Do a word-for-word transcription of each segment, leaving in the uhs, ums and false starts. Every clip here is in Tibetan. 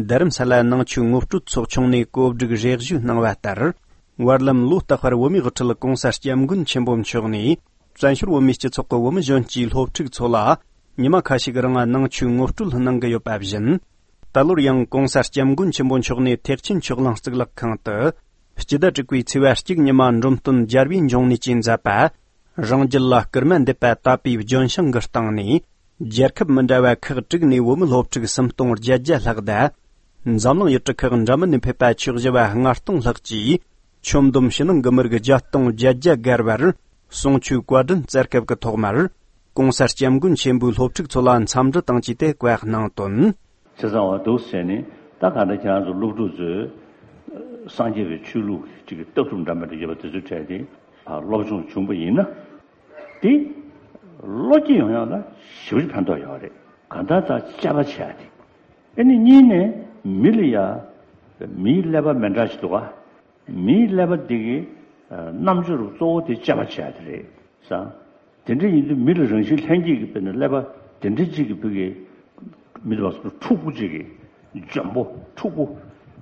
རྡ་རམ་ས་ལ་ནང་ཆོས་ངོ་སྤྲོད་ཚོགས་ཆུང་ནས་གོ་སྒྲིག་རེ་ཞུ་གནང་བ་ལྟར། བར་ལམ་ལོ་རྟག་པར་བོད་མིའི་དབུ་ཁྲིད་༧གོང་ས་༧སྐྱབས་མགོན་ཆེན་པོ་མཆོག་ནས། བཙན་བྱོལ་བོད་མིའི་སྤྱི་ཚོགས་ཀྱི་བོད་མི་གཞོན་སྐྱེས་སློབ་ཕྲུག་ཚོ་ལ། ཉི་མ་ཁ་ཤས་ཀྱི་རིང་ནང་ཆོས་ངོ་སྤྲོད་གནང་གི་ཡོད་པ་བཞིན། ད་ལོར་ཡང་༧གོང་ས་༧སྐྱབས་མགོན་ཆེན་པོ་མཆོག་ནས་ཐེག་ཆེན་ཆོས་གླིང་གཙུག་ལག་ཁང་དུ། སྤྱི་ཟླ་དྲུག་པའི་ཚེས་པ་གཅིག་ཉི་མ་འབྲོམ་སྟོན་རྒྱལ་བའི་འབྱུང་གནས་ཀྱིས་མཛད་པ། རང་རྒྱུད་ལ་སྐུལ་མ་འདེབས་པ་དད་པའི་ལྗོན་ཤིང་གི་སྟེང་ནས། རྒྱལ་ཁབ་མི་འདྲ་བ་ཁག་དྲུག་ནས་བོད་མི་སློབ་ཕྲུག་སུམ་སྟོང་བརྒྱད་བརྒྱ་ལྷག་དང་། འཛམ་གླིང་ཡུལ་གྲུ་ཁག་འདྲ་མིན་ནས་ཕེབས་པ་ཆོས་ཞུ་བ་ལྔ་སྟོང་ལྷག་གིས། ཆོས་འདོམས་ཕྱི་ནང་གི་མི་རིགས་བརྒྱད་སྟོང་བརྒྱད་བརྒྱ་བརྒལ་བར། གསུང་ཆོས་བཀའ་དྲིན་སྩལ་སྐབས་ཀྱི་ཐོག་མར། ༧གོང་ས་༧སྐྱབས་མགོན་ཆེན་པོས་སློབ་ཕྲུག་ཚོ་ལ་འཚམས་འདྲི་དང་བཅས་ཏེ་བཀའ་གནང་དོན། ཆེ་ཚང་བ་འདུག་ཟེར་ནས། ད་ག་འདྲ་ཁྱེད་རང་ཚོ་སློབ་ཕྲུག་ཚོས་སངས་རྒྱས་པའི་ཆོས་ལུགས་ཀྱི་ལྟ་གྲུབ་འདྲ་མི་འདྲ་ཡོད་པ་དེ་ཚོའི་གྲས་དེ་སློབ་སྦྱོང་བྱུང་པ་ཡིན་ན། དེ་བློ་སྐྱེད་ཡོང་ཡག་ལ་ཞེ་པོ་ཅིག་ཕན་ཐོགས་ཡོད་རེད། གང་ལྟར་ད་དཔྱད་པ་བྱས་ཏེ། ཨེ་ནི་གཉིས་ནས་མི་ལ་ཡ། མིའི་ཀླད་པ་མི་འདྲ་ཞིག་འདུག་ག་མིའི་ཀླད་པ་འདི་གི་རྣམ་དཔྱོད་རུ་གཙོ་བོ་དེ་དཔྱད་པ་བྱས་ཏེ་རེད་ས། དེ་འདྲ་ཡིན་དུས་མི་ལ་རང་བཞིན་ལྷན་སྐྱེས་ཀྱི་དཔེར་ན་ཀླད་པ་དེ་འདྲ་གཅིག་གི་བུ་གི་མི་འདུག་པ་འཁྲུག་པོ་གཅིག་གི་འཇོན་པོ་འཁྲུག་པོ་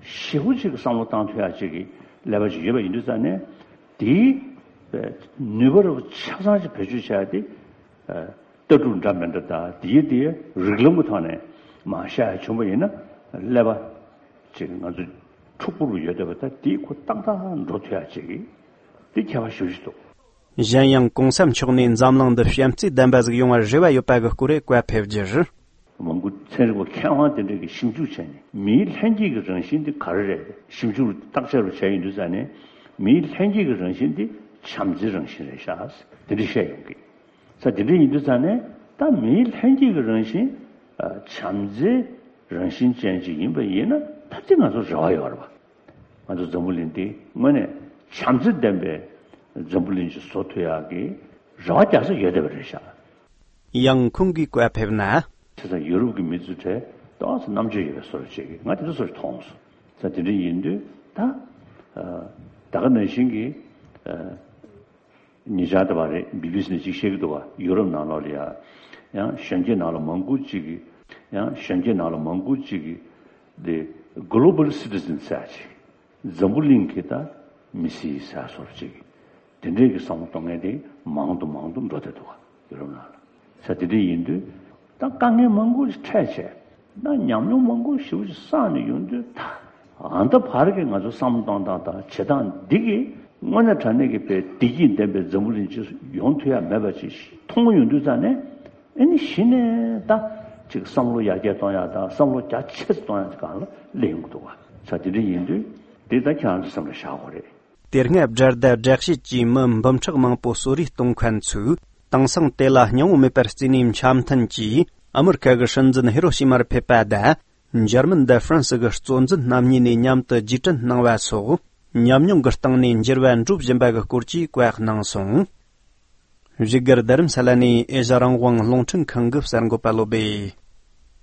ཞེ་པོ་གཅིག་གི་བསམ་བློ་བཏང་ཐུབ་ཡག་གཅིག་གི་ཀླད་པ་ཞིག་ཡོད་པ་ཡིན་དུས་ཙང་ནས་དེའི་ནུས་པ་རུ་ཆ་ཚང་ཞིག་བེད་སྤྱོད་བྱས་ཏེ། ལྟ་གྲུབ་འདྲ་མི་འདྲ་དང་དེའི་དེའི་རིགས་ལམ་གྱི་ཐོག་ནས་མ་བཤད་ཡ་བྱུང་བ་ཡིན་ན་ཀླད་པ་ཅིག་ང་ཚོ་འཁྲུག་པོ་རུ་ཡོད་བསྡད་པ་ད་དེའི་ཁོ་ཏག་ཏག་འགྲོ་ཐུབ་ཡ་ཅིག་གི་དེ་ཁྱད་པར་ཞེ་པོ་ཅིག་འདུག་གཞན་ཡང་གོང་ས་མཆོག་ནས་འཛམ་གླིང་འདི་བྱམས་བརྩེ་ལྡན་པ་ཟིག་ཡོང་བར་རེ་བ་ཡོད་པ་གི་སྐོར་རེ་བཀའ་ཕེབས་རྒྱུར། མང་པོ་ཚན་རིག་པ་མཁས་དབང་དེ་འདྲས་ཀྱིས་ཞིབ་འཇུག་བྱས་ནས་མིའི་ལྷན་སྐྱེས་ཀྱི་རང་བཞིན་དེ་ག་རེ་རེད་ཞིབ་འཇུག་བརྟག་དཔྱད་རུ་བྱས་ཡོང་དུས་ཙང་ནས་མིའི་ལྷན་སྐྱེས་ཀྱི་རང་བཞིན་དེ་བྱམས་བརྩེའི་རང་བཞིན་རེད་ཤག་དེ་འདྲས་བཤད་ཡོང་གི། ས་དེ་འདྲ་ཡིན་དུས་ཙང་ནས་ད་མིའི་ལྷན་སྐྱེས་ཀྱི་རང་བཞིན། ཨ། བྱམས་བརྩེའི་རང་བཞིན་ཅན་ཅིག་ཡིན་པ་ཡིན་ན་ད་ཅི་ང་ཚོ་རེ་བ་ཡོད་རེད་པ། ང་ཚོ་འཛམ་བུ་གླིང་འདི་དངོས་གནས་བྱམས་བརྩེ་ལྡན་པའི་འཛམ་བུ་གླིང་ཅིག་བཟོ་ཐུབ་ཡག་གི་རེ་བ་རྒྱག་ས་ཡོད་བསྡད་པ་རེད་ཤག་ཡང་ཁོང་གིས་བཀའ་ཕེབས་ན། དེ་ཙང་ཡུ་རོབ་ཀྱི་མི་ཚོའི་གྲས་ཏོག་ཙམ་རྣམ་དཔྱོད་ཡོད་པའི་བཟོ་འདྲ་ཅིག་ང་དེ་འདྲ་བཟོ་འདྲ་མཐོང་སོང་། ས་དེ་འདྲ་ཡིན་དུས་ད། ཨ། ད་ག་ནང་བཞིན་གྱི། ཨ། ཉེ་ཆར་དེ་བ་རེད། བི་བི་སི་ནས་ཅིག་བཤད་ཀྱི་འདུག་བ། ཡུ་རོབ་ནང་ལོགས་ལ་ཡ། ཡང་གཞོན་སྐྱེས་ནང་ལ་མང་པོ་ཅིག་གིས། ཡང་གཞོན་སྐྱེས་ནང་ལ་མང་པོ་ཅིག་གིས། དེ་Global Citizen ཟེར་ཅིག་འཛམ་བུ་གླིང་གི་ད་མི་སེར་ཟེར་སོགས་ཅིག་དེ་འདྲས་ཀྱི་བསམ་བློ་གཏོང་མཁན་དེ་མང་དུ་མང་དུ་འགྲོ་བསྡད་འདུག་བ། ཡུ་རོབ་ནང་ལ། ས་དེ་འདྲ་ཡིན་དུས་ད་དཀའ་ངལ་མང་པོ་ཞིག་འཕྲད་བྱས་ད་ཉམས་མྱོང་མང་པོ་ཞེ་པོ་ཞིག་བསགས་ནས་ཡོང་དུས་ད་ཨ་ད་བར་གྱི་ང་ཚོ་བསམ་བློ་གཏོང་སྟངས་དང་བྱེད་སྟངས་འདི་གིས་དངོས་གནས་དྲང་གནས་ཀྱི་དཔེ་བདེ་སྐྱིད་ལྡན་པའི་འཛམ་བུ་གླིང་ཅིག་ཡོང་ཐུབ་ཡ་མེད་པ་ཅིག་མཐོང་ཡོང་དུས་ཙང་ནས་ཨ་ནི་གཞི་ནས་ད་ཅིག་བསམ་བློ་ཡར་རྒྱས་གཏོང་ཡ་དང་བསམ་བློ་རྒྱ་ཆེ་ཙམ་གཏོང་ཡ་ཅིག་སྒང་ལ་སླེབས་ཡོང་གི་འདུག་བ། ས་དེ་འདྲ་ཡིན་དུས་དེ་ད་ཁྱེད་རང་ཚོ་སེམས་ལ་བཞག་དགོས་རེད། དེ་སྔ་དགྲ་ཟླ་དགྲ་བྱེད་ཀྱིས་མི་འབུམ་ཕྲག་མང་པོ་གསོད་རེས་གཏོང་མཁན་ཚོས་དེང་སང་དེ་ལ་སྙིང་བོ་མེད་པར་བརྩིས་ནས་འཆམ་མཐུན་གྱིས་ཨ་མི་རི་ཀ་གི་སྲིད་འཛིན་ཧི་རོ་ཤི་མར་ཕེབས་པ་དང་འཇར་མན་དང་ཧྥ་རན་སི་གི་གཙོ་འཛིན་རྣམ་གཉིས་ནས་མཉམ་དུ་རྗེས་དྲན་གནང་བ་སོགས་ཉམས་མྱོང་གི་སྟེང་ནས་འགྱུར་བ་འགྲོ་བཞིན་པ་གི་སྐོར་གྱི་བཀའ་གནང་སོང་། བཞུགས་སྒར་རྡ་རམ་ས་ལ་ནས་ཨེ་ཤ་རང་དབང་རླུང་འཕྲིན་ཁང་གི་གསར་འགོད་པ་བློ་སྦེ།